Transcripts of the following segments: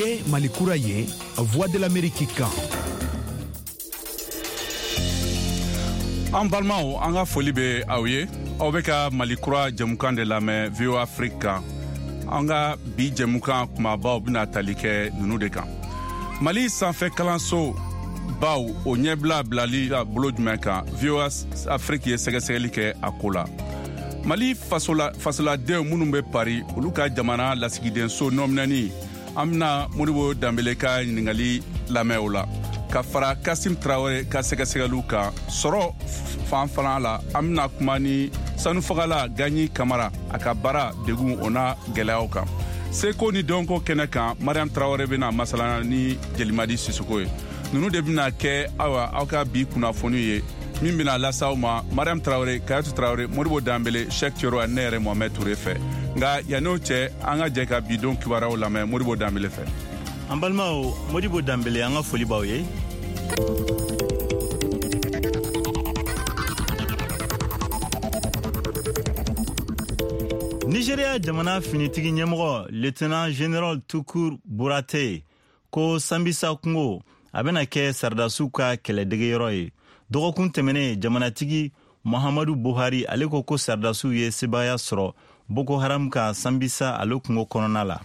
Nin ye Mali kura ye, Voix de l'Amérique kan. An balimaw, an ka foli bɛ aw ye. Aw bɛ ka Mali kura jɛmukan de lamɛn VOA Afrique kan. An ka bi jɛmukan kumabaw bɛna tali kɛ ninnu de kan: Mali sanfɛ kalanso baw, o ɲɛbila bilali la bolo jumɛn kan? VOA Afrique ye sɛgɛsɛgɛli kɛ a ko la. Mali fasoladenw minnu bɛ Paris, olu ka jamana lasigidenso nɔminɛni, an bɛna Modibo Danbele ka ɲininkali lamɛn o la, ka fara Kasim Tarawele ka sɛgɛsɛgɛliw kan. Sɔrɔ fan fana la, an bɛna kuma ni sanufagala Gaɲi Kamara, a ka baara degun, o n'a gɛlɛyaw kan. Seko ni dɔnko kɛnɛ kan, Mariam Tarawele bɛna masala ni Jelimadi Sisoko ye. Ninnu de bɛna kɛ, ayiwa, aw ka bi kunnafoni ye min bɛna lase aw ma Mariam Tarawele, Kayatu Tarawele, Modibo Danbele, Shek Cero ani ne yɛrɛ Mohamɛd Ture fɛ. Nka yann'o cɛ, an ka jɛ ka bi don kibaruyaw lamɛn Modibo Danbele fɛ. An balimaw, Modibo Danbele, an ka foli b'aw ye. Nigeria jamana finitigi ɲɛmɔgɔ, Lieutenant General Tukur Burate, ko Sambisa kungo a bɛna kɛ saradasiw ka kɛlɛdegeyɔrɔ ye. Dɔgɔkun tɛmɛnen, jamanatigi Muhammadu Buhari ale ko ko saradasiw ye sebaaya sɔrɔ Boko Haram ka Sambisa ale kungo kɔnɔna la.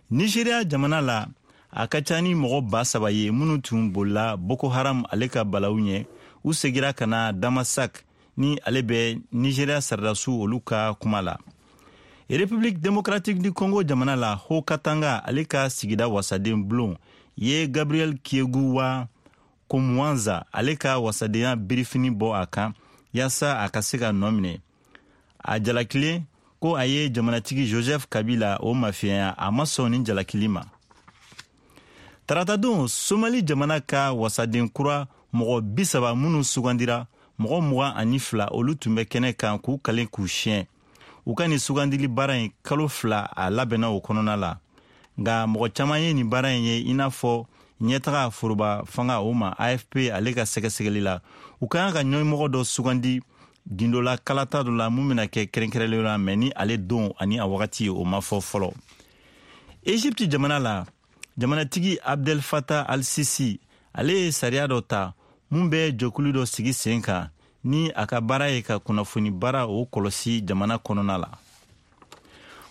Nigeria jamana la, a ka ca ni mɔgɔ 3000 ye minnu tun bolila Boko Haram ale ka balawu ɲɛ, u segira ka na Damasak ni ale bɛ Nigeria saradasiw olu ka kuma la. République démocratique du Congo jamana la, Haut Katanga ale ka sigida wasaden bulon ye Gabriel Kiegu wa Kumwanza ale ka wasadenya birifini bɔ a kan yaasa a ka se ka nɔ minɛ. A jalakilen ko a ye jamanatigi Joseph Kabila o mafiyɛnya, a ma sɔn nin jalakili ma. Taratadon, Somali jamana ka wasaden kura mɔgɔ 30 minnu sugandira, mɔgɔ 22 olu tun bɛ kɛnɛ kan k'u kalen k'u siɲɛ. U ka nin sugandili baara in, kalo 2 a labɛnna o kɔnɔna la. Nka mɔgɔ caman ye nin baara in ye i n'a fɔ ɲɛtaga foroba fanga o ma. AFP ale ka sɛgɛsɛgɛli la, u ka kan ka ɲɛmɔgɔ dɔ sugandi gindola kalata dɔ la mun bɛna kɛ kɛrɛnkɛrɛnlen la, mɛ ni ale don ani a wagati, o ma fɔ fɔlɔ. Egypte jamana la, jamanatigi Abdel Fattah al-Sisi ale ye sariya dɔ ta mun bɛ jɛkulu dɔ sigi sen kan ni a ka baara ye ka kunnafoni baara o kɔlɔsi jamana kɔnɔna la.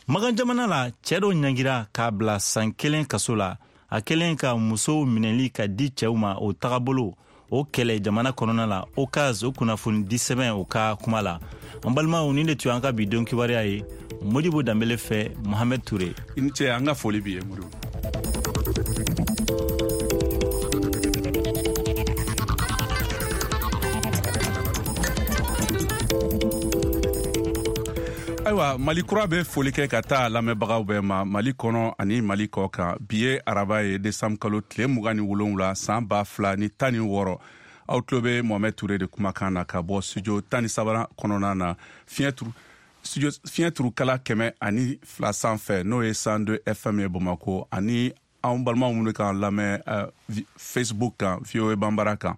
Magan jamana la, cɛɛ dɔ ɲangira k'a bila san 1 kaso la, a kɛlen ka musow minɛli ka di cɛw ma, o tagabolo o kɛlɛ jamana kɔnɔna la. Okaz o kunnafoni di sɛbɛn o ka kuma la. An balimaw, nin de tun an ka bi don kibaruya ye Modibo Danbele fɛ, Mohamɛd Ture. I ni ce, an ka foli b'i ye, Modibo. Ayiwa, Mali kura bɛ foli kɛ ka taa lamɛnbagaw bɛɛ ma Mali kɔnɔ ani Mali kɔ kan. Bi ye araba ye, desanburu kalo tile 27, san 2016. Aw tulo bɛ Mohamɛd Ture de kumakan na ka bɔ studio 13nan kɔnɔna na, fiɲɛ turu studio fiɲɛ turukala 102 sanfɛ, n'o ye 102 FM ye Bamako, ani anw balimaw minnu k'an lamɛn Facebook kan, VOA Banbara kan.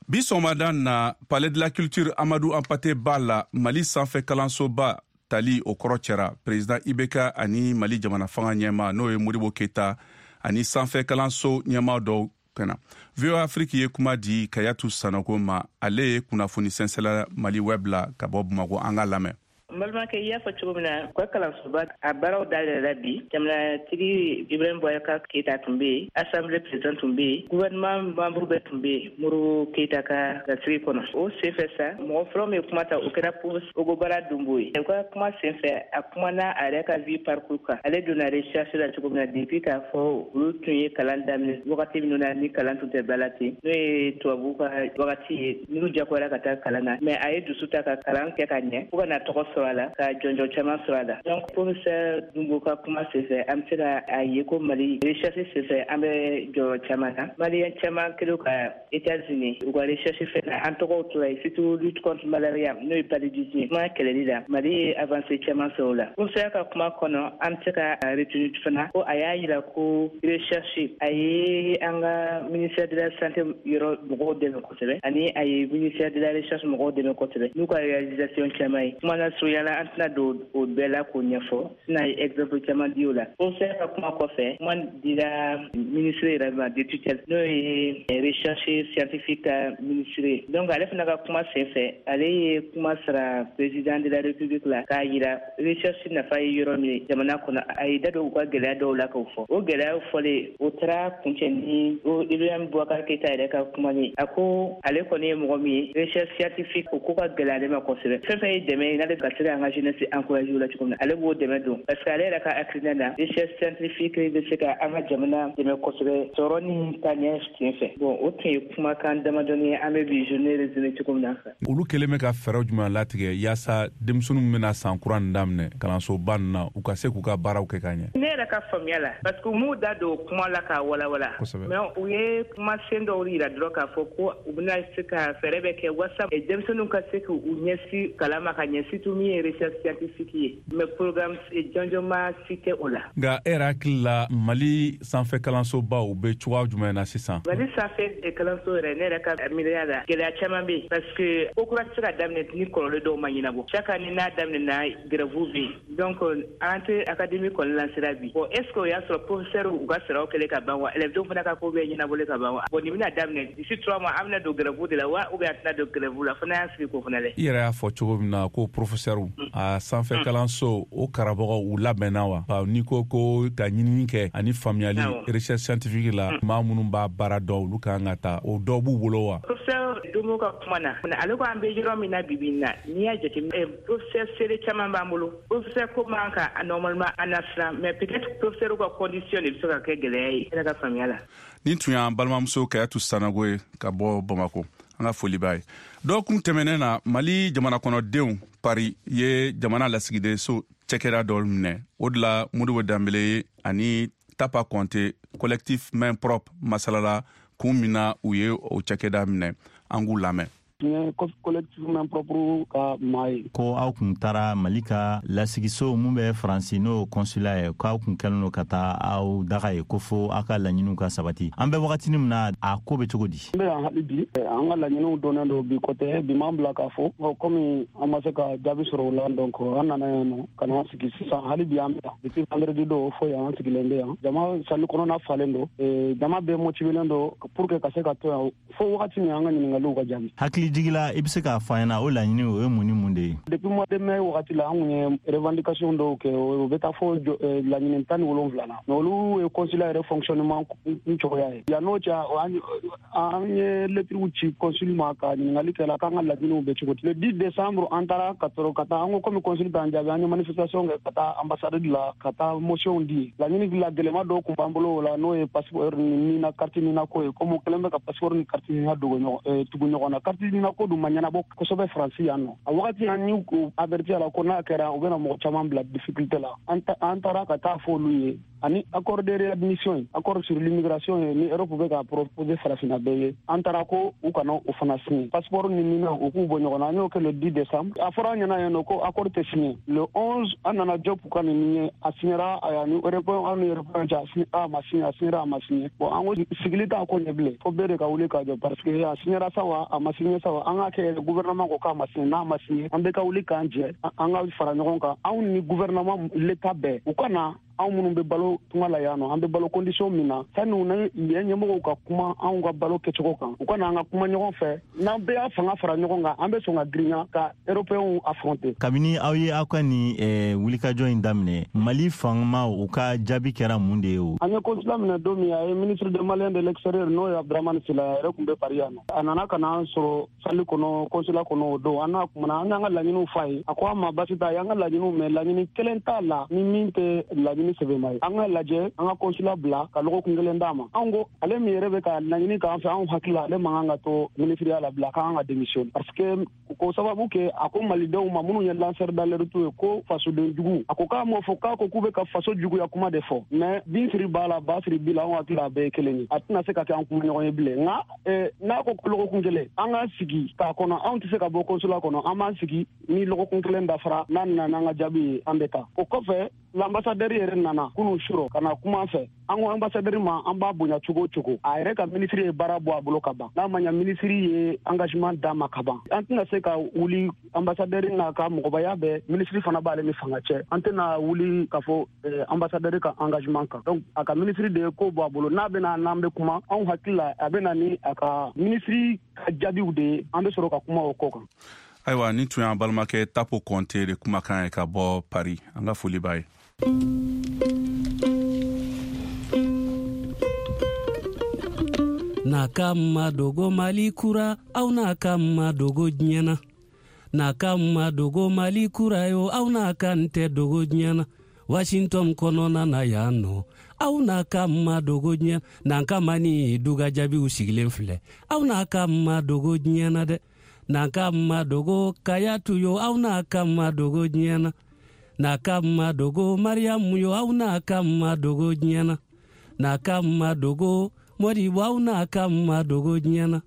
Bi sɔgɔmada na, Palais de la Culture Amadou Hampâté Bâ la, Mali sanfɛ kalansoba tali o kɔrɔ cɛra. Président IBK ani Mali jamana fanga ɲɛma, n'o ye Modibo Keyita, ani sanfɛ kalanso ɲɛma dɔw kɛna. VOA Afrique ye kuma di Kayatu Sanoko ma, ale ye kunnafoni sɛnsɛla Mali Web la ka bɔ Bamako. An ka lamɛn. N balimakɛ, i y'a fɔ cogo min na, u ka kalansoba a baaraw dayɛlɛla bi. Jamanatigi Ibrahim Boubacar Keyita tun bɛ yen, assemblée président tun bɛ yen, gouvernement membre bɛɛ tun bɛ yen Modibo Keyita ka lasigi kɔnɔ. O senfɛ sa, mɔgɔ fɔlɔ min ye kuma ta, o kɛra professeur Ogobara Dunbo ye. U ka kuma senfɛ, a kumana a yɛrɛ ka vie parcours kan, ale donna recherche la cogo min na, depuis k'a fɔ olu tun ye kalan daminɛ wagati minnu na ni kalan tun tɛ ba la ten, n'o ye tubabu ka wagati ye, n'u jagoyara ka taa kalan na, mais a ye dusu ta ka kalan kɛ ka ɲɛ fo ka na tɔgɔ sɔrɔ a la, ka jɔnjɔn caman sɔrɔ a la. Donc professeur Dunbo ka kuma senfɛ, an bɛ se ka a ye ko Mali recherche senfɛ, an bɛ jɔyɔrɔ caman na. Maliyɛn caman kɛlen ka États-Unis u ka recherche fɛ na, an tɔgɔw tora yen, surtout lutte contre malaria, n'o ye paludisme ye, kuma kɛlɛli la, Mali ye avancée caman sɔrɔ o la. Professeur ka kuma kɔnɔ, an bɛ se ka retenir fana ko a y'a yira ko recherche a ye an ka ministère de la santé yɔrɔ mɔgɔw dɛmɛ kosɛbɛ, ani a ye ministère de la recherche mɔgɔw dɛmɛ kosɛbɛ n'u ka réalisation caman ye. Kuma lasurunya. Surunya la, an tɛna don o bɛɛ la k'o ɲɛfɔ, sinon ye exemple caman di o la. Professeur ka kuma kɔfɛ, kuma dira ministre yɛrɛ ma de tutelle, n'o ye recherche scientifique ka ministre ye. Donc ale fana ka kuma senfɛ, ale ye kuma sara président de la République la k'a yira recherche nafa ye yɔrɔ min ye jamana kɔnɔ. A ye da don u ka gɛlɛya dɔw la k'o fɔ. O gɛlɛyaw fɔlen, o taara kuncɛ ni o Ibrahim Boubacar Keita yɛrɛ ka kuma ye. A ko ale kɔni ye mɔgɔ min ye, recherche scientifique o ko ka gɛlɛn ale ma kosɛbɛ. Fɛn fɛn ye dɛmɛ ye n'ale ka se k'an ka jeunesse encourager o la cogo min na, ale b'o dɛmɛ don, parce que ale yɛrɛ ka hakilina na, recherche scientifique bɛ se ka an ka jamana dɛmɛ kosɛbɛ sɔrɔ ni taaɲɛ sen fɛ. Bon, o tun ye kumakan damadɔni ye an bɛ bi journée résumé cogo min na. Olu kɛlen bɛ ka fɛɛrɛw jumɛn latigɛ yaasa denmisɛnninw bɛna san kura nin daminɛ kalansoba nin na, u ka se k'u ka baaraw kɛ ka ɲɛ? Ne yɛrɛ ka faamuya la, parce que u m'u da don kuma la k'a walawala, mais u ye kumasen dɔw yira dɔrɔn k'a fɔ ko u bɛna se ka fɛɛrɛ bɛ kɛ wasa denmisɛnninw ka se k'u ɲɛsin kalan ma ka ɲɛ, surtout min ye recherche scientifique ye, mais programme jɔnjɔn ma si tɛ o la. Nka e yɛrɛ hakili la, Mali sanfɛ kalansobaw bɛ cogoya jumɛn na sisan? Mali sanfɛ kalanso yɛrɛ, ne yɛrɛ ka miiriya la, gɛlɛya caman bɛ yen, parce que ko kura tɛ se ka daminɛ ni kɔlɔlɔ dɔw ma ɲɛnabɔ. Chaque année n'a daminɛna, grève bɛ yen. Donc rentrée académique kɔni lancera bi. Bon, est ce que o y'a sɔrɔ professeur u ka saraw kɛlen ka ban wa, élèves denw fana ka ko bɛɛ ɲɛnabɔlen ka ban wa? Bon, nin bɛna daminɛ d'ici 3 mois, an bɛna don grève de la wa, ou bien an tɛna don grève la? Fana y'an sigi k'o fana lajɛ. I yɛrɛ y'a fɔ cogo min na ko professeur, a sanfɛ kalanso o karamɔgɔw, u labɛnna wa? N'i ko ko ka ɲinini kɛ ani faamuyali recherche scientifique la, maa minnu b'a baara dɔn, olu kan ka ta, o dɔw b'u bolo wa? Professeur Domo ka kuma na, ale ko an bɛ yɔrɔ min na bi bi in na, n'i y'a jateminɛ, professeur sere caman b'an bolo. Professeur ko man ka normalement an na siran, mais peut-être professeur ka condition de bɛ se ka kɛ gɛlɛya ye, ne ka faamuya la. Nin tun y'an balimamuso Kayatu Sanogo ye ka bɔ Bamako. An ka foli b'a ye. Dɔgɔkun tɛmɛnen na, Mali jamana kɔnɔdenw Paris ye jamana lasigidenso cɛkɛda dɔ minɛ. O de la Modibo Danbele ye ani Tapa Kɔnte, collectif Main Propre, masalala kun min na u ye o cɛkɛda minɛ. An k'u lamɛn. Ye collectif Main Propre ka maa ye. Ko aw kun taara Mali ka lasigiso mun bɛ Faransi, n'o consulat ye, k'aw kun kɛlen don ka taa aw daga ye ko fo aw ka laɲiniw ka sabati. An bɛ wagatini min na, a ko bɛ cogo di? N bɛ yan hali bi. An ka laɲiniw dɔnnen don bi kɔtɛ bi m'an bila k'a fɔ komi an ma se ka jaabi sɔrɔ o la. Donc an nana yan nɔ ka na sigi sisan. Hali bi an bɛ yan depuis vendredi don fo yan, an sigilen bɛ yan. Jama salle kɔnɔna falen don, jama bɛɛ motivelen don pour que ka se ka to yan fo wagati min an ka ɲininkaliw ka jaabi. Hakili jigila, i bɛ se k'a fɔ an ɲɛna, o laɲini o ye mun ni mun de ye? Depuis mois de mai wagati la, an kun ye revendication dɔw kɛ, o bɛ taa fo laɲini 17 na, mais olu ye consulat yɛrɛ fonctionnement kun cogoya ye. Yan n'o cɛ, an ye lettre ci consul ma ka ɲininkali kɛ la k'an ka laɲiniw bɛ cogo di. Le 10 décembre, an taara ka sɔrɔ ka taa, an ko komi consul t'an jaabi, an ye manifestation kɛ ka taa ambassade la ka taa motion di. Laɲini la gɛlɛma dɔw kun b'an bolo o la, n'o ye passeport ni nina, carte nina ko ye. Komi kɛlen bɛ ka passeport ni carte nina dogo ɲɔgɔn tugu ɲɔgɔn na, carte nina ko dun ma ɲɛnabɔ kosɛbɛ Faransi yan nɔ. A wagati an y'u averti a la ko n'a kɛra, u bɛna mɔgɔ caman bila difficulté la. An taara ka taa fɔ olu ye, ani accord de réadmission ye, accord sur l'immigration ye ni Europe bɛ ka proposer farafinna bɛɛ ye. An taara ko u kana o fana signer, passeport ni nina u k'u bɔ ɲɔgɔn na. An y'o kɛ le 10 décembre. A fɔra an ɲɛna yen nɔ ko accord tɛ signer. Le 11, an nana Diop ka nin ye, a signera ni européen, an ni européen cɛ, a ma signer, a signera, a ma signer. Bon, an ko sigili t'a ko ɲɛ bilen, fo bɛɛ de ka wuli ka jɔ, parce que a signera sa wa, a ma signer sa wa, an k'a kɛ gouvernement ko k'a ma signer. N'a ma signer, an bɛɛ ka wuli k'an jɛ, an ka fara ɲɔgɔn kan, anw ni gouvernement, l'état bɛɛ, u ka na anw minnu bɛ balo tunga la yan nɔ, an bɛ balo condition min na, sani u ni yen ɲɛmɔgɔw ka kuma anw ka balo kɛcogo kan, u ka na an ka kuma ɲɔgɔn fɛ. N'an bɛɛ y'a fanga fara ɲɔgɔn kan, an bɛ sɔn ka girinya ka européenw affronter. Kabini aw ye aw ka nin wulikajɔ in daminɛ, Mali fangamaw u ka jaabi kɛra mun de ye o? An ye consulat minɛ don min, a ye ministre des Maliens de l'extérieur, n'o ye Abdramane Sila, a yɛrɛ tun bɛ Paris yan nɔ. A nana ka na an sɔrɔ salle kɔnɔ, consulat kɔnɔ o don. An n'a kumana, an y'an ka laɲiniw f'a ye. A ko an ma basi t'a ye, an ka laɲiniw mɛn, laɲini kelen t'a la ni min tɛ laɲini sɛbɛnma ye. An ka lajɛ, an ka consulat bila ka lɔgɔkun kelen d'a ma. Anw ko ale min yɛrɛ bɛ ka laɲini k'an fɛ, anw hakili la ale man kan ka to ministriya la bila, k'an ka démission, parce que ko sababu kɛ a ko malidenw ma minnu ye lanceur d'alerte ye ko fasoden jugu. A ko k'a m'o fɔ, k'a ko k'u bɛ ka faso juguya kuma de fɔ, mais bin siri b'a la, ba siri bi la, anw hakili la a bɛɛ ye kelen ye, a tɛna se ka kɛ an kuma ɲɔgɔn ye bilen. Nka n'a ko lɔgɔkun kelen an k'an sigi k'a kɔnɔ, anw tɛ se ka bɔ consulat kɔnɔ. An b'an sigi, ni lɔgɔkun kelen dafara, n'a nana n'an ka jaabi ye, an bɛ taa. O kɔfɛ L'ambassadeur yɛrɛ nana kunun surɔ ka na kuma an fɛ. An ko ambassadeur ma an b'a bonya cogo o cogo, a yɛrɛ ka ministre ye baara bɔ a bolo ka ban. N'a ma ɲa ministre ye engagement d'a ma ka ban, an tɛna se ka wuli ambassadeur n'a ka mɔgɔbaya bɛɛ, ministre fana b'ale ni fanga cɛ, an tɛna wuli k'a fɔ ambassadeur ka engagement kan. Donc a ka ministre de ye ko bɔ a bolo, n'a bɛna n'an bɛ kuma, anw hakili la a bɛna ni a ka ministre ka jaabiw de ye, an bɛ sɔrɔ ka kuma o ko kan. Ayiwa, nin tun y'an balimakɛ Tapo Kɔnte de kumakan ye ka bɔ Paris. An ka foli b'a ye. N'a ka ma dogo Mali kura, aw n'a ka ma dogo diɲɛ na. N'a ka ma dogo Mali kura yo, aw n'a ka n tɛ dogo diɲɛ na. Washington kɔnɔna na yan nɔ, aw n'a ka ma dogo diɲɛ. N'an ka ma ni duga jaabiw sigilen filɛ, aw n'a ka ma dogo diɲɛ na dɛ. N'an ka ma dogo Kayatu yo, aw n'a ka ma dogo diɲɛ na. N'a ka ma dogo Mariyamu yo, aw n'a ka ma dogo diɲɛ na. N'a ka ma dogo Modibo, aw n'a ka ma dogo diɲɛ na.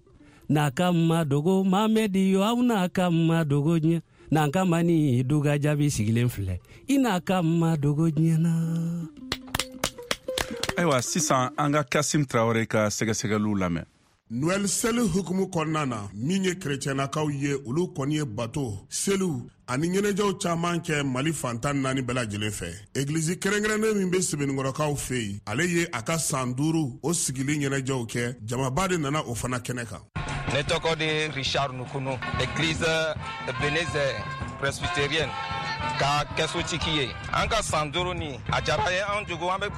N'a ka ma dogo Mamedi yo, aw n'a ka ma dogo diɲɛ. N'an ka ma ni duga jaabi sigilen filɛ, i n'a ka ma dogo diɲɛ na. Ayiwa, sisan an ka Kasim Tarawele ka sɛgɛsɛgɛliw lamɛn. Noël seli hukumu kɔnɔna na, min ye kerecɛnnakaw ye, olu kɔni ye bato, seliw ani ɲɛnajɛw caman kɛ Mali fan 14 bɛɛ lajɛlen fɛ. Egilizi kɛrɛnkɛrɛnnen min bɛ Sebeninkɔrɔkaw fɛ yen, ale ye a ka san 5 o sigili ɲɛnajɛw kɛ. Jamaba de nana o fana kɛnɛ kan. Ne tɔgɔ de Richard Nukunu, église Ebenezer presbytérienne ka kɛsotigi ye. An ka san 5 ni a diyara ye an jugu, an bɛ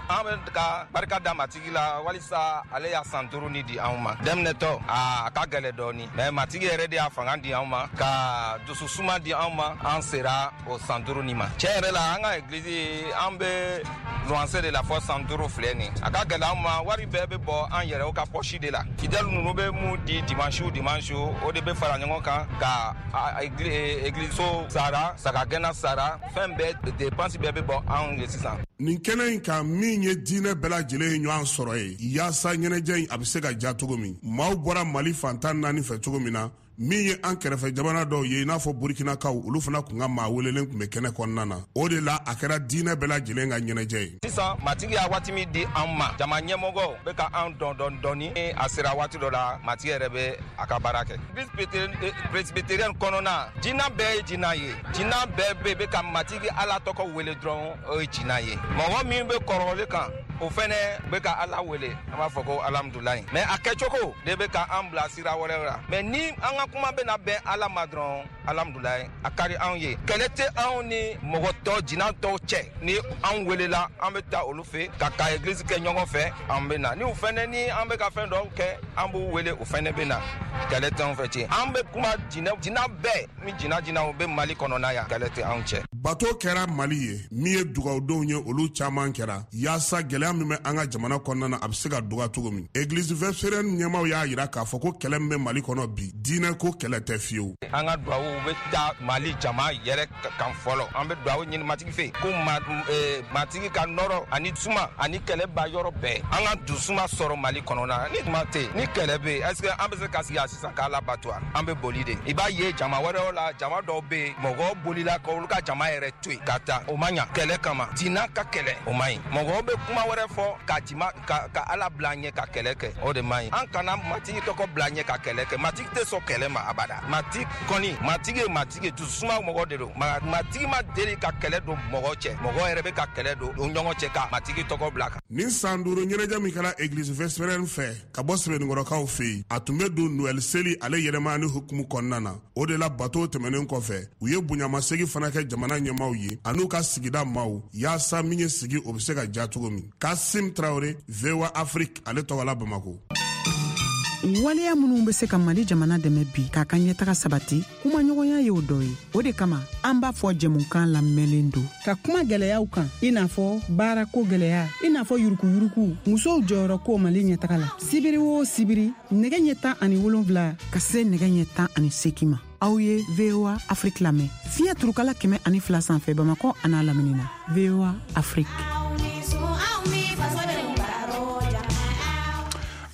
ka barika da Matigi la walisa ale y'a san 5 ni di anw ma. Daminɛtɔ a ka gɛlɛ dɔɔni, mais Matigi yɛrɛ de y'a fanga di anw ma, ka dususuma di anw ma, an sera o san 5 ni ma. Tiɲɛ yɛrɛ la, an ka église an bɛ louanse de la fɔ san 5 filɛ nin. A ka gɛlɛ anw ma, wari bɛɛ bɛ bɔ an yɛrɛw ka poche de la. Fidèle ninnu bɛ mun di dimanche o dimanche, o de bɛ fara ɲɔgɔn kan ka église so sara, sagagɛnna sara, fɛn bɛɛ dépense bɛɛ bɛ bɔ anw ye sisan. Nin kɛnɛ in kan, min ye diinɛ bɛɛ lajɛlen ye ɲɔgɔn sɔrɔ ye yaasa ɲɛnajɛ in a bɛ se ka ja cogo min, maaw bɔra Mali fan 14 fɛ cogo min na, min ye an kɛrɛfɛ jamana dɔw ye i n'a fɔ Burkinakaw, olu fana kun ka maa welelen tun bɛ kɛnɛ kɔnɔna na. O de la a kɛra diinɛ bɛɛ lajɛlen ka ɲɛnajɛ ye. Sisan Matigi y'a waati min di an ma, jama ɲɛmɔgɔw bɛ ka an dɔn dɔɔni dɔɔni. A sera waati dɔ la, Matigi yɛrɛ bɛ a ka baara kɛ. Presbytérienne kɔnɔna, diinɛ bɛɛ ye diinɛ ye. Diinɛ bɛɛ bɛ ka Matigi Ala tɔgɔ wele dɔrɔn, o ye diinɛ ye. Mɔgɔ min bɛ kɔrɔlen kan, o fɛnɛ bɛ ka Ala wele, an b'a fɔ ko alhamdulilayi. Mais a kɛcogo de bɛ ka an bila sira wɛrɛ la. Mais ni an ka kuma bɛna bɛn Ala ma dɔrɔn, alhamdulilayi, a ka di anw ye. Kɛlɛ tɛ anw ni mɔgɔ tɔ, jinɛ tɔw cɛ. Ni anw welela, an bɛ taa olu fɛ ka église kɛ ɲɔgɔn fɛ, an bɛ na. Ni u fɛnɛ ni an bɛ ka fɛn dɔw kɛ, an b'u wele, u fɛnɛ bɛ na. Kɛlɛ tɛ anw fɛ ten. An bɛ kuma jinɛ bɛɛ ni jinɛw bɛ Mali kɔnɔna yan, kɛlɛ tɛ anw cɛ. Bato kɛra Mali ye, min ye dugawudenw ye, olu caman kɛra yaasa gɛlɛya min bɛ an ka jamana kɔnɔna na, a bɛ se ka dɔgɔya cogo min. Église presbytérienne ɲɛmaaw y'a jira k'a fɔ ko kɛlɛ min bɛ Mali kɔnɔ bi, diinɛ ko kɛlɛ tɛ fiyewu. An ka duwawu bɛ taa Mali jama yɛrɛ kan fɔlɔ. An bɛ duwawu ɲini Matigi fɛ ko Matigi ka nɔrɔ ani suma ani kɛlɛ ba yɔrɔ bɛɛ. An ka dusuma sɔrɔ Mali kɔnɔna. Ni kuma tɛ, ni kɛlɛ bɛ yen, est-ce que an bɛ se ka sigi yan sisan k'Ala bato wa? An bɛ boli de. I b'a ye jama wɛrɛw la, jama dɔw bɛ yen, mɔgɔw bolila ka olu ka jama yɛrɛ to yen ka taa. O ma ɲa. Kɛlɛ kama, diinɛ ka kɛlɛ, o ma ɲi. Mɔgɔw bɛ kuma wɛrɛ fɔ ka Ala bila ɲɛ ka kɛlɛ kɛ, o de ma ɲi. An kana Matigi tɔgɔ bila ɲɛ ka kɛlɛ kɛ. Matigi tɛ sɔn kɛlɛ ma abada. Matigi kɔni, Matigi ye Matigi, dususuma mɔgɔ de don. Matigi ma deli ka kɛlɛ don mɔgɔ cɛ. Mɔgɔ yɛrɛ bɛ ka kɛlɛ don u ɲɔgɔn cɛ ka Matigi tɔgɔ bila kan. Nin san 5 ɲɛnajɛ min kɛra église presbytérienne fɛ ka bɔ Sebeninkɔrɔkaw fɛ yen, a tun bɛ don Noël seli ale yɛlɛma ni hukumu kɔnɔna na. O de la bato tɛmɛnen kɔfɛ, u ye bonyamasegin fana kɛ jamana ɲɛmaaw ye an'u ka sigida maaw, yaasa min ye sigi o bɛ se ka ja cogo min. Kasim Tarawele, VOA Afrique, ale tɔgɔ la Bamako. Waleya minnu bɛ se ka Mali jamana dɛmɛ bi k'a ka ɲɛtaga sabati, kumaɲɔgɔnya y'o dɔ ye. O de kama an b'a fɔ jɛmukan lamɛnlen don ka kuma gɛlɛyaw kan, i n'a fɔ baarako gɛlɛya, i n'a fɔ yurukuyuruku, musow jɔyɔrɔ ko Mali ɲɛtaga la. Sibiri o sibiri, nɛgɛ ɲɛ 17 ka se nɛgɛ ɲɛ 18 ma, aw ye VOA Afrique lamɛn fiɲɛ turukala 102 sanfɛ Bamakɔ an'a lamini na. VOA Afrique.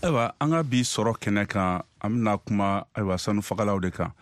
Ayiwa, an ka bi sɔrɔ kɛnɛ kan, an bɛna kuma ayiwa sanufagalaw de kan.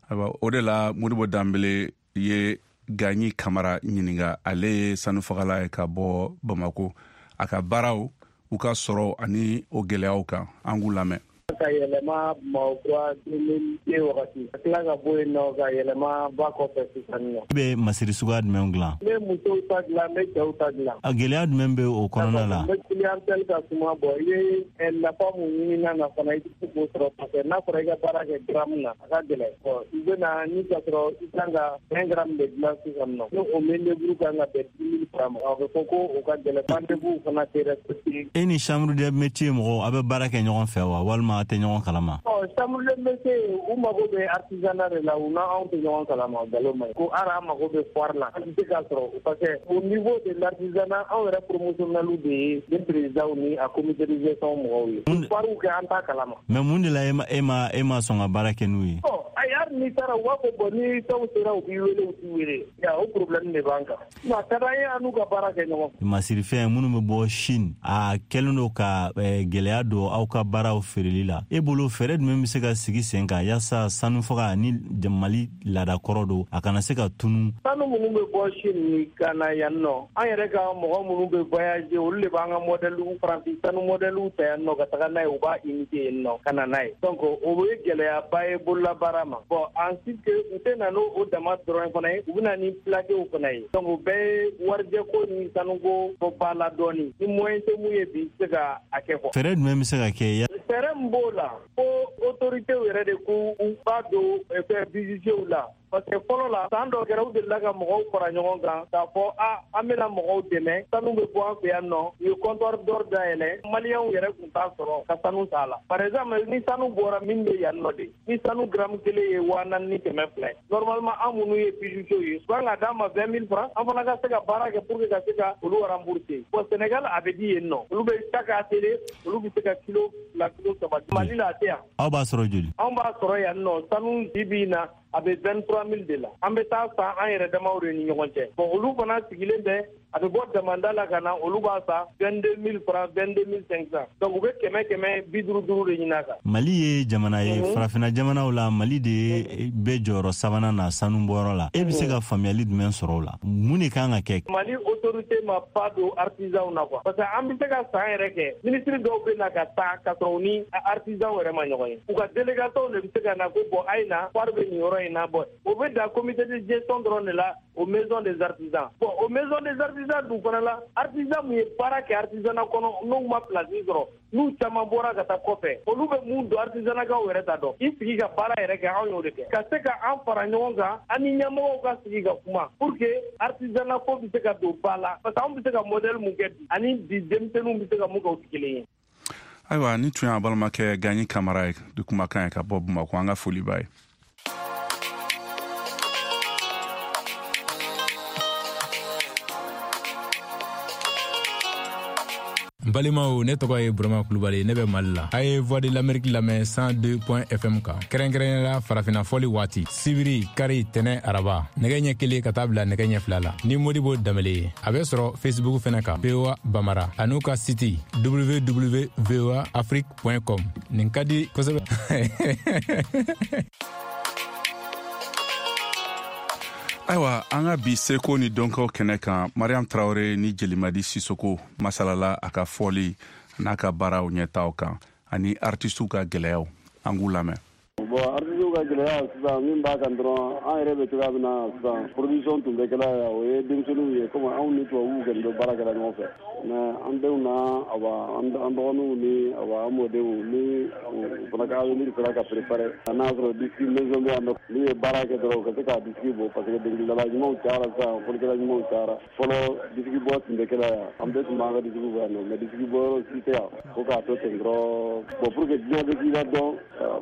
Ayiwa, o de la Modibo Danbele ye Gaɲi Kamara ɲininka. Ale ye sanufagala ye ka bɔ Bamako. A ka baaraw, u ka sɔrɔ ani o gɛlɛyaw kan, an k'u lamɛn. Ka yɛlɛma Bamakɔ 2002 wagati, ka tila ka bɔ yen nɔ ka yɛlɛma ba kɔfɛ sisan nɔ. I bɛ masiri suguya jumɛn dilan? N bɛ musow ta dilan, n bɛ cɛw ta dilan. A gɛlɛya jumɛn bɛ o kɔnɔna la? N bɛ clientèle ka suma bɔ, i bɛ nafa mun ɲini na fana, i tɛ se k'o sɔrɔ parce que n'a fɔra i ka baara kɛ gramme na, a ka gɛlɛn. Bon, i bɛ na ni ka sɔrɔ i kan ka 20 grammes de dilan sisan nɔ. Ni o main d'œuvre kan ka bɛn 10 000 francs ma, a bɛ fɔ ko o ka gɛlɛn, rendez-vous fana tɛ respecté. E ni chambre de métier mɔgɔw, a bɛ baara kɛ ɲɔgɔn fɛ wa, walima a tɛ ɲɔgɔn kalama? Chambre de métier, u mago bɛ artisanat de la, u n'anw tɛ ɲɔgɔn kalama, nkalon ma ɲi. Ko hali an mago bɛ foire la, an tɛ se k'a sɔrɔ parce que au niveau de l'artisanat, anw yɛrɛ promotionnels de ye ni présidents ni a comité de gestion mɔgɔw ye. Foire kɛ, an t'a kalama. Mais mun de la e ma sɔn ka baara kɛ n'u ye? Ayi, hali n'i taara, u b'a fɔ bon, ni fɛnw sera, u b'i wele, u t'i wele. Ya, o problème de b'an kan. A ka d'an ye an n'u ka baara kɛ ɲɔgɔn fɛ. Masirifɛn minnu bɛ bɔ Chine, a kɛlen don ka gɛlɛya don aw ka baaraw feereli la. E bolo, fɛɛrɛ jumɛn bɛ se ka sigi sen kan yaasa sanufaga ni Mali laada kɔrɔ don, a kana se ka tunu? Sanu minnu bɛ bɔ Chine ni ka na yan nɔ, an yɛrɛ ka mɔgɔ minnu bɛ voyager, olu de b'an ka modèle faransi sanu modèle ta yan nɔ ka taga n'a ye, u b'a imiter yen nɔ ka na n'a ye. Donc o ye gɛlɛyaba ye bololabaara ma. Bon, ensuite que u tɛ na n'o o dama dɔrɔn fana ye, u bɛ na ni plaquew fana ye. Donc o bɛɛ ye warijɛko ni sanuko bɔ ba la dɔɔni. Ni moyen tɛ mun ye bi, i tɛ se ka a kɛ quoi. Fɛɛrɛ jumɛn bɛ se ka kɛ? Fɛɛrɛ min b'o la, ko autorités yɛrɛ de k'u ba don fɛn bijoutiers la. Parce que fɔlɔ la, san dɔ kɛra, u delila ka mɔgɔw fara ɲɔgɔn kan k'a fɔ a an bɛna mɔgɔw dɛmɛ, sanu bɛ bɔ an fɛ yan nɔ. U ye comptoir d'or dayɛlɛ, maliyɛnw yɛrɛ tun t'a sɔrɔ ka sanu t'a la. Par exemple, ni sanu bɔra min bɛ yan nɔ de, ni sanu gramme kelen ye 4200 ye, normalement an minnu ye bijoutiers ye, u kan ka d'an ma 20 000 francs, an fana ka se ka baara kɛ pour que ka se ka olu rembourser. Bon, Sénégal a bɛ di yen nɔ, olu bɛ chaque atelier, olu bɛ se ka kilo 2, kilo 3. Mali la a tɛ yan. Aw b'a sɔrɔ joli? Anw b'a sɔrɔ yan nɔ, sanu bi in na, a bɛ 23 000 de la. An bɛ taa san an yɛrɛ damaw de ni ɲɔgɔn cɛ. Bon, olu fana sigilen bɛ, a bɛ bɔ damanda la ka na, olu b'a san 22 000 francs, 22 500. Donc u bɛ 100 155 de ɲini a kan. Mali ye jamana ye, farafinna jamanaw la, Mali de ye bɛ jɔyɔrɔ sabanan na sanu bɔyɔrɔ la. E bɛ se ka faamuyali jumɛn sɔrɔ o la? Mun de kan ka kɛ? Mali autorité ma pas don artisanw na quoi. Parce que an bɛ se ka san yɛrɛ kɛ, ministre dɔw bɛ na ka taa ka sɔrɔ u ni artisanw yɛrɛ ma ɲɔgɔn ye. U ka délégation de bɛ se ka na ko bon, a ye na, foire bɛ nin yɔrɔ in na. Bon, o bɛ dan comité de gestion dɔrɔn de la, o maison des artisans. Bon, o maison des artisans dun fana la, artisan mun ye baara kɛ artisanat kɔnɔ, n'u ma place sɔrɔ, n'u caman bɔra ka taa kɔfɛ, olu bɛ mun don artisanat yɛrɛ ta dɔn. I sigi ka baara yɛrɛ kɛ, anw y'o de kɛ. Ka se ka an fara ɲɔgɔn kan, an ni ɲɛmɔgɔw ka sigi ka kuma pour que artisanat ko bɛ se ka don ba la. Parce que anw bɛ se ka modèle mun kɛ bi, ani bi denmisɛnninw bɛ se ka mun kɛ, o tɛ kelen ye. Ayiwa, ni tun y'a balimakɛ Gaɲi Kamara ye de kumakan ye ka bɔ Bamakɔ. An ka foli b'a ye. N balimaw, ne tɔgɔ ye Burama Kulubali, ne bɛ Mali la. A ye Voix de l'Amérique lamɛn 102 point FM kan, kɛrɛnkɛrɛnnenya la farafinna fɔli waati, sibiri, kari, tɛnɛ, araba, nɛgɛ ɲɛ 1 ka taa bila nɛgɛ ɲɛ 2 la, ni Modibo Danbele ye. A bɛ sɔrɔ Facebook fɛnɛ kan, VOA Bamara, an'u ka site www voa afrique com. Nin ka di kosɛbɛ. Ayiwa, an ka bi seko ni dɔnko kɛnɛ kan, Mariam Tarawele ni Jelimadi Sisoko masalala a ka fɔli n'a ka baaraw ɲɛtaw kan ani artisiw ka gɛlɛyaw. An k'u lamɛn. Bon, artisiw ka gɛlɛya sisan, min b'a kan dɔrɔn, an yɛrɛ bɛ cogoya min na sisan, production tun bɛ kɛla yan, o ye denmisɛnninw ye, komi anw ni tubabuw kɔni bɛ baara kɛla ɲɔgɔn fɛ. Mais an denw na, awa, an dɔgɔninw ni, awa, an mɔdenw ni u fana ka avenir sera ka préparer, n'a sɔrɔ disque maison bɛ yan nɔ, n'u ye baara kɛ dɔrɔn, u ka se ka disque bɔ, parce que dɔnkilidala ɲumanw cayara sisan, fɔlikɛla ɲumanw cayara. Fɔlɔ, disque bɔ tun bɛ kɛla yan, an bɛɛ tun b'an ka disque bɔ yan nɔ, mais disque bɔ yɔrɔ si tɛ yan fo k'a to ten dɔrɔn. Bon, pour que diɲɛ bɛ k'i la dɔn,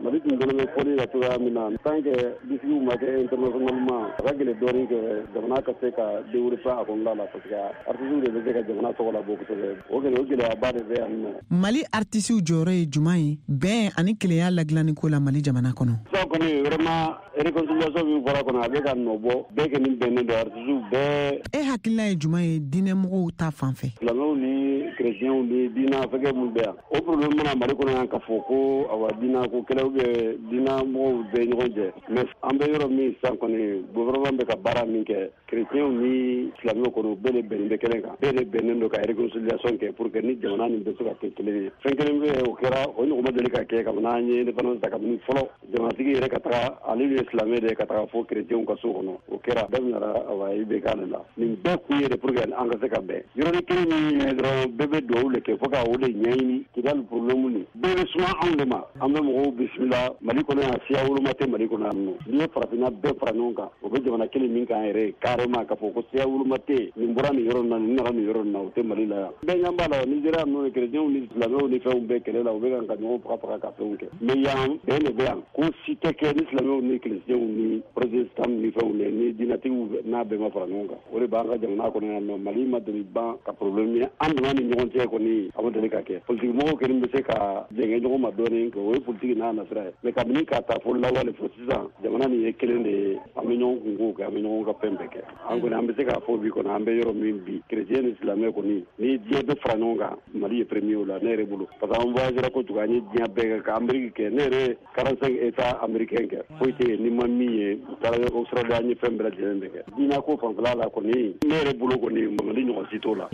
Mali tun dɔnnen bɛ fɔli la cogoya min na, tant que disque ma kɛ internationalement, a ka gɛlɛn dɔɔnin kɛ jamana ka se ka développer a kɔnɔna la, parce que artistes de bɛ se ka jamana tɔgɔ labɔ kosɛbɛ. O kɔni, o gɛlɛyaba de bɛ yan nɔ. Mali artisiw jɔyɔrɔ ye juman ye bɛn ani kelenya ladilanni ko la Mali jamana kɔnɔ? Sisan kɔni, vraiment, réconciliation min fɔra kɔnɔ, a bɛ ka nɔ bɔ. Bɛɛ kɔni bɛnnen don, artisiw bɛɛ. E hakilina ye juman ye diinɛmɔgɔw ta fan fɛ? Silamɛw ni. chrétiens ni diina fɛnkɛ minnu bɛ yan, o problème mana Mali kɔnɔ yan k'a fɔ ko awa diina ko kɛlɛ ou bien diina mɔgɔw bɛ ɲɔgɔn jɛ. Mais an bɛ yɔrɔ min sisan kɔni, gouvernement bɛ ka baara min kɛ, chrétiens ni silamɛw kɔni, bɛɛ de bɛnnen bɛ kelen kan, bɛɛ de bɛnnen don ka réconciliation kɛ pour que ni jamana nin bɛ se ka kɛ kelen ye. Fɛn kelen bɛ yen, o kɛra, o ɲɔgɔn ma deli ka kɛ kabini an ye indépendance ta. Kabini fɔlɔ jamanatigi yɛrɛ ka taga, ale ye silamɛ de ye, ka taga fo chrétiens ka so kɔnɔ, o kɛra daminɛra awa IBK de la. Nin bɛɛ kun ye de pour que an ka se ka bɛn. Yɔrɔnin kelen min ye dɔrɔn, bɛɛ bɛ dugawu de kɛ fo ka o de ɲɛɲini. Kidali problème nin bɛɛ bɛ suma anw de ma. An bɛ mɔgɔw bisimila Mali kɔnɔ yan, siya woloma tɛ Mali kɔnɔ yan nɔ. N'i ye farafinna bɛɛ fara ɲɔgɔn kan, o bɛ jamana kelen min kan yɛrɛ carrément, k'a fɔ ko siya woloma tɛ, nin bɔra nin yɔrɔ in na, nin nana nin yɔrɔ in na, o tɛ Mali la yan. Bɛɛ ɲɛ b'a la, Nigéria ninnu ni chrétiens ni silamɛw ni fɛnw bɛɛ kɛlɛ la, u bɛ ka ɲɔgɔn faga faga ka fɛnw kɛ. Mais yan, bɛn de bɛ yan. Ko si tɛ kɛ ni silamɛw ni chrétiens ni protestants ni fɛnw ni diinɛtigiw n'a bɛɛ ma fara ɲɔgɔn kan. O de b'an ka jamana kɔnɔ yan nɔ. Mali ma deli ban ka problème ye an dama ni ɲɔgɔn cɛ kɔni, a ma deli ka kɛ. Politique mɔgɔw kɔni bɛ se ka jɛngɛ ɲɔgɔn ma dɔɔnin, o ye politique n'a nasira ye. Mais kabini k'a ta fo lawale fo sisan, jamana nin ye kelen de ye. An bɛ ɲɔgɔn kunko kɛ, an bɛ ɲɔgɔn ka fɛn bɛɛ kɛ. An kɔni, an bɛ se k'a fɔ bi kɔni, an bɛ yɔrɔ min bi, chrétien ni silamɛ kɔni, ni diɲɛ bɛ fara ɲɔgɔn kan, Mali ye premier o la ne yɛrɛ bolo, parce que an voyagera kojugu, an ye diɲɛ bɛɛ kɛ, ka Amérique kɛ. Ne yɛrɛ 45 états américains kɛ, foyi tɛ yen ni ma min ye. U taara Australie, an ye fɛn bɛɛ lajɛlen de kɛ. Diinɛ ko fanfɛla la kɔni, ne yɛrɛ bolo kɔni, Mali ɲɔgɔn si t'o la.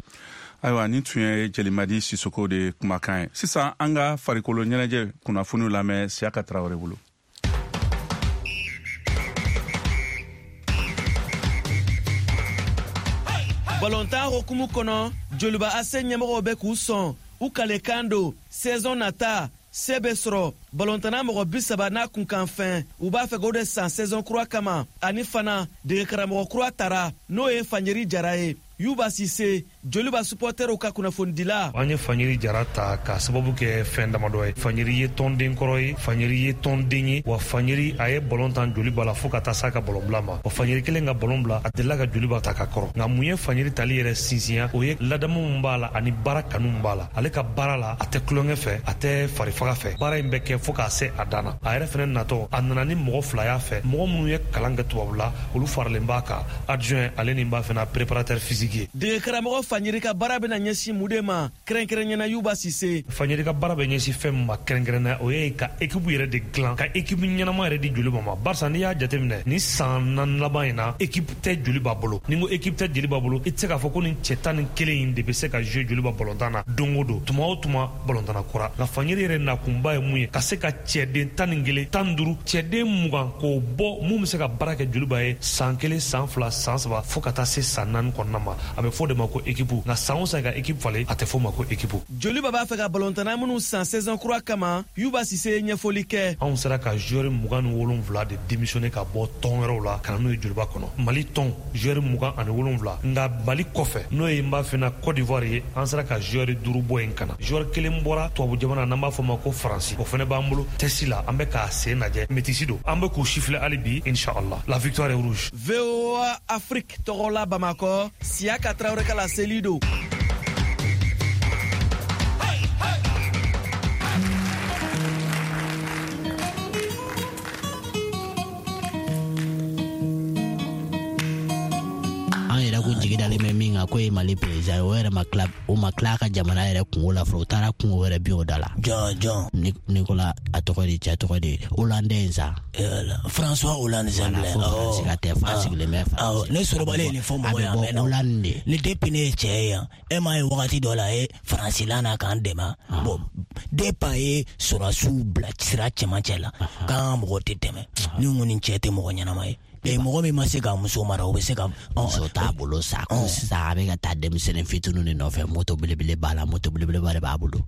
Ayiwa, nin tun ye Jelimadi Sisoko de kumakan ye. Sisan, an ka farikolo ɲɛnajɛ kunnafoniw lamɛn Siyaka Tarawele bolo. Balontan hokumu kɔnɔ, Joliba AC ɲɛmɔgɔw bɛ k'u sɔn u kalekan don saison nata se bɛ sɔrɔ balontanna mɔgɔ 30 n'a kunkanfɛn, u b'a fɛ k'o de san saison kura kama. Ani fana, degekaramɔgɔ kura tara, n'o ye Fanjeri Jara ye. Yuba Sise, Joliba supporterw ka kunnafonidila. An ye Fanjeri Jara ta ka sababu kɛ fɛn damadɔ ye. Fanjeri ye tɔnden kɔrɔ ye, Fanjeri ye tɔnden ye, wa Fanjeri a ye balon tan Joliba la fo ka taa s'a ka balon bila ma. Wa Fanjeri kelen ka balon bila, a delila ka Joliba ta ka kɔrɔ. Nka mun ye Fanjeri tali yɛrɛ sinsinya? O ye ladamu min b'a la ani baara kanu min b'a la. Ale ka baara la, a tɛ tulonkɛ fɛ, a tɛ farifaga fɛ. Baara in bɛ kɛ fo k'a se a dan na. A yɛrɛ fɛnɛ natɔ, a nana ni mɔgɔ fila y'a fɛ, mɔgɔ minnu ye kalan kɛ tubabula, olu faralen b'a kan, adjoint ale ni b'a fɛnɛ préparateur physique ye. Degekaramɔgɔ Fanjeri ka baara bɛna ɲɛsin mun de ma kɛrɛnkɛrɛnyana, Yuba Sise? Fanjeri ka baara bɛ ɲɛsin fɛn min ma kɛrɛnkɛrɛnnenya, o ye ka équipe yɛrɛ de dilan, ka équipe ɲɛnama yɛrɛ di Joliba ma, barisa n'i y'a jateminɛ ni san 4 laban in na, équipe tɛ Joliba bolo. Ni n ko équipe tɛ Joliba bolo, i tɛ se k'a fɔ ko nin cɛ 11 in de bɛ se ka jouer Joliba balontan na don o don, tuma o tuma balontanna kura. Nka Fanjeri yɛrɛ nakunba ye mun ye? Ka se ka cɛden 11, 15, cɛden 20 k'o bɔ mun bɛ se ka baara kɛ Joliba ye san 1, san 2, san 3, fo ka taa se san 4 kɔnɔna ma. A bɛ fɔ o de ma ko équipe. Nka san o san ka équipe falen, a tɛ fɔ o ma ko équipe. Joliba b'a fɛ ka balontanna minnu san saison kura kama, Yuba Sise ye ɲɛfɔli kɛ. Anw sera ka joueur 27 de démissionner ka bɔ tɔn wɛrɛw la ka na n'o ye Joliba kɔnɔ. Mali tɔn joueur 27, nka Mali kɔfɛ, n'o ye n b'a fɛ na Côte d'Ivoire ye, an sera ka joueur 5 bɔ yen ka na. Joueur kelen bɔra tubabu jamana, n'an b'a fɔ ma ko Faransi, o fana b'an bolo test la, an bɛ k'a sen lajɛ, métis don, an bɛ k'u siffler hali bi, inchallah la victoire est rouge. VOA Afrique tɔgɔ la Bamakɔ, Siyaka Tarawele ka laseli don. An yɛrɛ ko jigi dalen bɛ min kan, k'o ye Mali président ye, o yɛrɛ ma tila, o ma tila a ka jamana yɛrɛ kungo la fɔlɔ, o taara kungo wɛrɛ bin o da la. Jɔn jɔn? Nicolas, a tɔgɔ de, cɛ tɔgɔ de Hollande in sa. François Hollande sa bilen. Faransi ka tɛ, fa sigilen bɛ Faransi. Ne sɔrɔbalen ye nin fɔ mɔgɔ ye a mɛnna. Hollande de. Ni depuis ne ye cɛ ye yan, e m'a ye wagati dɔ la a ye Faransi la na k'an dɛmɛ. Bon, depuis a ye sɔrɔdasiw bila sira cɛmancɛ la, k'an ka mɔgɔw tɛ tɛmɛ. Ni n ko nin cɛ tɛ mɔgɔ ɲɛnama ye. Mɔgɔ min ma se k'a muso mara, o bɛ se ka muso t'a bolo sa. Ko sisan a bɛ ka taa denmisɛnnin fitininw de nɔfɛ, moto belebele b'a la, moto belebeleba de b'a bolo.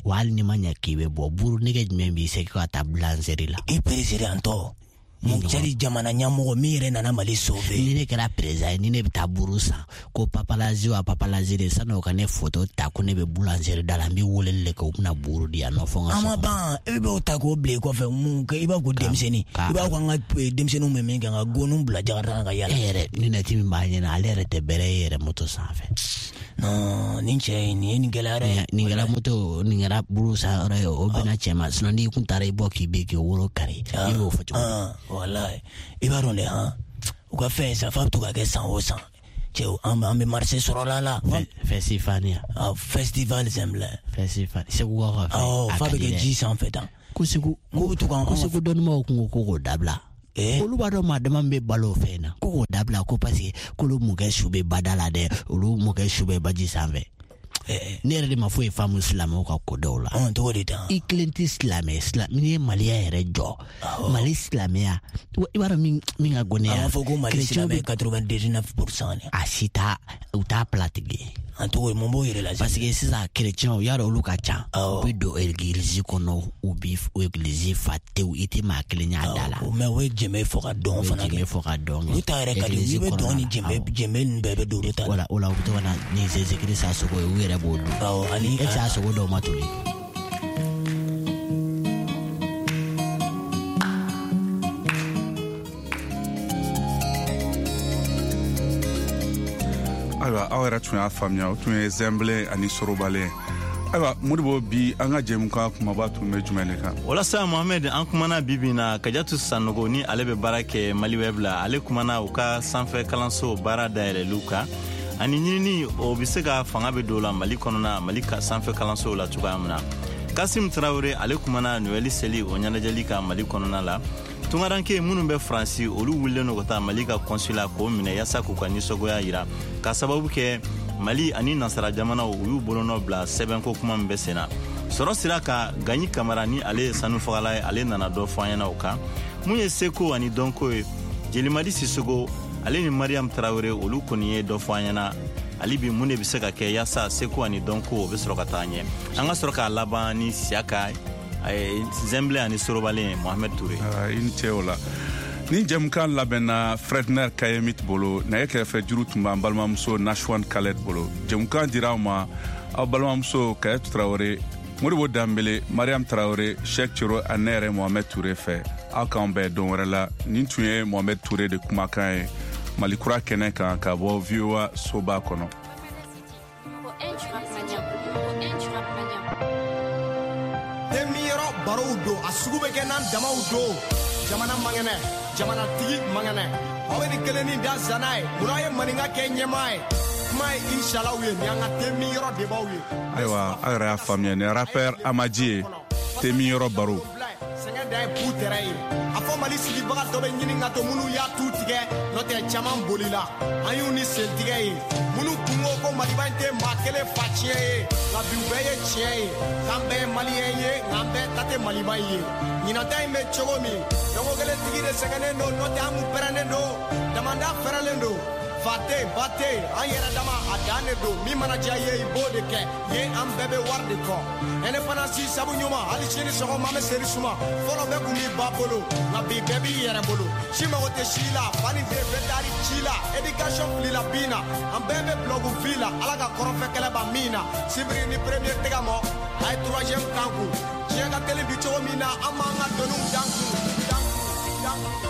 Wa hali ni ma ɲɛ k'i bɛ bɔ, buru nege jumɛn b'i se ka taa boulangerie la? I président tɔ mun cɛri jamana ɲɛmɔgɔ min yɛrɛ nana Mali sauver. Ni ne kɛra président ye, ni ne bɛ taa buru san, ko paparazzi wa paparazzi de, sani o ka ne photo ta ko ne bɛ boulangerie da la, n bɛ weleli de kɛ, u bɛna buru di yan nɔ fo n ka so An ma kɔnɔ. ban, e b'o ta k'o bila i kɔfɛ, mun kɛ? I b'a fɔ ko denmisɛnnin, i b'a fɔ an ka denmisɛnninw bɛ min kɛ, ka goniw bila jakarta kan ka yala. E yɛrɛ lunette min b'a ɲɛna, ale yɛrɛ tɛ bɛrɛ ye yɛrɛ moto sanfɛ. Non, nin cɛ in, nin ye nin gɛlɛya dɛ. Nin kɛra moto, nin kɛra buru san yɔrɔ ye, o bɛnna cɛ ma. Sinon n'i kun taara i bɔ k'i bɛ k'i woro kari, i b'o fɔ cogo di? Walayi, i b'a dɔn dɛ, han, u ka fɛn sa, f'a bɛ to ka kɛ san o san. Cɛw, an bɛ marché sɔrɔ la. Festival. Festival Zembla. Festival. Segu ka fɛ. Awɔ, f'a bɛ kɛ ji sanfɛ tan. Ko Segu ko bɛ to k'an ko Segu dɔnnibaw kun ko k'o dabila. Olu b'a dɔn maa dama bɛ balo o fɛn na. Ko k'o dabila ko parce que k'olu mɔkɛ su bɛ bada la dɛ, olu mɔkɛ su bɛ baji sanfɛ. Ne yɛrɛ de ma foyi faamu silamɛw ka ko dɔw la. Cogo di tan? I kelen tɛ silamɛ, n'i ye Maliya yɛrɛ jɔ, Mali silamɛya, i b'a dɔn min ka go ne ye. A b'a fɔ ko Mali silamɛ 99%. A si t'a, u t'a pilatigi. An tɔgɔ ye mun b'o yɛrɛ la? Parce que sisan chrétiens, y'a dɔn olu ka ca. U bɛ don église kɔnɔ, u bɛ église fa tewu, i tɛ maa kelen y'a da la. Mais o ye jɛmɛ fɔ ka dɔn fana kɛ. Jɛmɛ fɔ ka dɔn kɛ. Olu ta yɛrɛ ka di, i bɛ dɔn ni jɛmɛ ninnu bɛɛ bɛ don olu ta la. O la u bɛ to ka na ni Jésus Christ a sogo ye, u yɛrɛ b'o dun. Awɔ, ani e tɛ a sogo dɔw ma toli. Ayiwa, aw yɛrɛ tun y'a faamuya, o tun ye Zɛnbile ani Sorobalen. Ayiwa, Modibo, bi an ka jɛmukan kumaba tun bɛ jumɛn de kan? Walasa Mohamed, an kumana bi na Kajatu Sanogo ni ale bɛ baara kɛ Mali Web la, ale kumana u ka sanfɛ kalanso baara dayɛlɛliw kan ani ɲinini o bɛ se ka fanga bɛ don la Mali kɔnɔna, Mali ka sanfɛ kalansow la cogoya min na. Kasim Tarawele, ale kumana Noël seli o ɲɛnajɛli kan Mali kɔnɔna la. Tungaranke minnu bɛ Faransi, olu wulilen don ka taa Mali ka consulat k'o minɛ yaasa k'u ka nisɔngoya yira, k'a sababu kɛ Mali ani nansara jamanaw u y'u bolonɔ bila sɛbɛnko kuma min bɛ sen na. Sɔrɔ sira kan, Gaɲi Kamara ni ale ye sanufagala ye, ale nana dɔ fɔ an ɲɛna o kan. Mun ye seko ani dɔnko ye, Jelimadi Sisogo ale ni Mariam Tarawele, olu kɔni ye dɔ fɔ an ɲɛna hali bi mun de bɛ se ka kɛ yaasa seko ani dɔnko o bɛ sɔrɔ ka taa ɲɛ. An ka sɔrɔ k'a laban ni Siyaka Zɛnbile ani Sorobalen, Mohamed Touré. I ni ce o la. Ni jɛmukan labɛnna Fredner Kayemit bolo, nɛgɛ kɛrɛfɛ juru tun b'an balimamuso Nashwan Khaled bolo. Jɛmukan dira aw ma aw balimamuso Kayatu Tarawele, Modibo Danbele, Mariam Tarawele, Cheikh Cero ani ne yɛrɛ Mohamed Touré fɛ. Aw k'an bɛn don wɛrɛ la. Nin tun ye Mohamed Touré de kumakan ye Mali kura kɛnɛ kan ka bɔ VOA soba kɔnɔ. Temiyɔrɔ barow don, a sugu bɛ kɛ n'an damaw don. Jamana mangɛnɛ, jamanatigi mangɛnɛ, aw bɛ nin kelennin da zana ye, munna ye maninka kɛ ɲɛmaa ye? Kuma ye inshalaw ye, nin an ka temiyɔrɔ debaw ye. Ayiwa, aw yɛrɛ y'a faamuya, nin rappeur Amaji ye temiyɔrɔ baro. Sɛgɛn dan ye bu tɛrɛ ye. A fɔ Mali sigibaga dɔ bɛ ɲini ka to minnu y'a tu tigɛ, n'o tɛ caman bolila, an y'u ni sentigɛ ye. Minnu kun ko ko Maliba in tɛ maa kelen fa tiɲɛ ye, nka bi u bɛɛ ye tiɲɛ ye. K'an bɛɛ ye maliyɛn ye, nka an bɛɛ ta tɛ Maliba in ye. Ɲinan ta in bɛ cogo min, dɔnko kelen tigi de sɛgɛnnen don, n'o tɛ an kun pɛrɛnnen don, damanda fɛrɛlen don. Fa tɛ yen, ba tɛ yen, an yɛrɛ dama a dan de don. Min mana diya i ye, i b'o de kɛ. Ye an bɛɛ bɛ wari de kɔ. Indépendance sabu ɲuman, hali sini sɔgɔma an bɛ seri suma. Fɔlɔ bɛɛ kun b'i ba bolo, nka bi bɛɛ b'i yɛrɛ bolo. Si mago tɛ si la, fa ni den bɛɛ taar'i ci la. Éducation filila bin na, an bɛɛ bɛ bulɔku fi la. Ala ka kɔrɔfɛ kɛlɛ ban min na. Sibiri ni premier tɛgɛ mɔ, a ye troisième kan kun. Diɲɛ ka teli bi cogo min na, an b'an ka doniw dan kun. Dan kun, dan kun.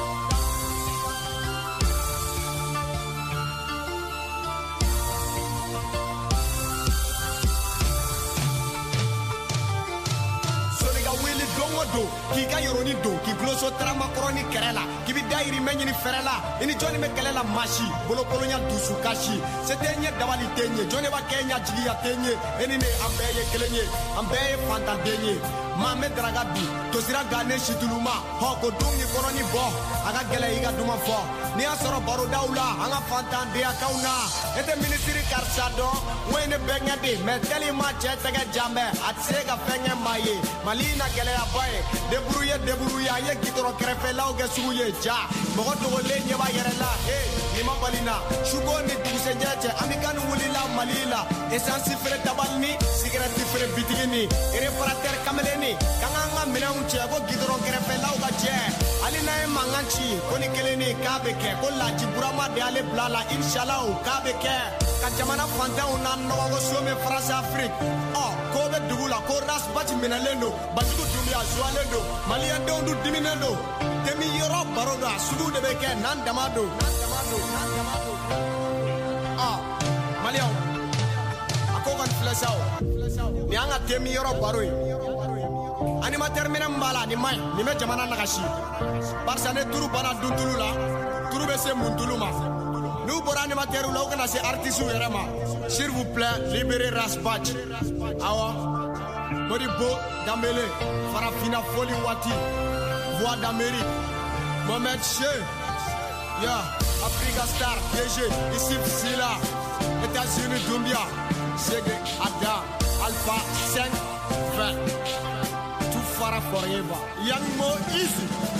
K'i ka yɔrɔnin don, k'i guloso taramakɔrɔ ni kɛrɛ la, k'i bɛ dayirimɛ ɲini fɛrɛ la, i ni jɔnni bɛ kɛlɛ la maa si, bolokolonya dusu kasi, se tɛ ɲɛ dabali tɛ ɲɛ, jɔnni b'a kɛ ɲɛ jigiya tɛ ɲɛ, e ni ne an bɛɛ ye kelen ye, an bɛɛ ye fantanden ye. Maa bɛ daraka dun, tosira gannen situluma, hɔ ko dun k'i kɔnɔni bɔ, a ka gɛlɛ i ka duman fɔ. N'i y'a sɔrɔ barodaw la, an ka fantandenya na, e tɛ minisiri karisa dɔn, n ko ye ne bɛnkɛ de, mɛ tellement cɛ tɛgɛ jan bɛ, a tɛ se ka fɛn kɛ maa ye. Mali na gɛlɛyaba ye, débrouiller débrouiller, an ye gidɔrɔn kɛrɛfɛlaw kɛ sugu ye, ja mɔgɔ dogolen ɲɛ b'a yɛrɛ la, he nin ma bali na, suko ni dugusɛjɛ cɛ, an bɛ kan wulila Mali la, essence feere tabali ni cigarette feere bitigi ni réparateur kamalen ni, k'an k'an ka minɛnw cɛ, ko gidɔrɔn kɛrɛfɛlaw ka jɛ, hali n'an ye mankan ci, ko ni kelen ni k'a bɛ kɛ, ko Laji Burama de y'ale bila la, inshallah k'a bɛ kɛ, ka jamana fantanw na nɔgɔ ko so min France Afrique, ɔ ko bɛ dugu la, ko Ras Bath minɛlen don, Bajugu Dunbiya zuwalen don, maliyɛndenw dun diminen don, temi yɔrɔ baro don, a sugu de bɛ kɛ n'an dama don, n'an dama don, n'an dama don. Ɔ maliyɛnw, a ko kɔni filɛ sa o, nin y'an ka temi yɔrɔ baro ye. Animateur minɛ min b'a la, nin man ɲi, nin bɛ jamana nagasi, barisa ne turu banna duntulu la, turu bɛ se mun tulu ma. N'u bɔra animateurs la, u kana se artistes yɛrɛ ma. S'il vous plaît, libérez Ras Bath. Awɔ, Modibo Dambélé, Farafina Foli Wati, Voix d'Amérique, Mohamed Che, yeah, Africa Star, DG, Issif Sila, États-Unis Doumbia, Sege Adam, Alpha 5, 20, Tout Fara Forever, Young Mo Easy.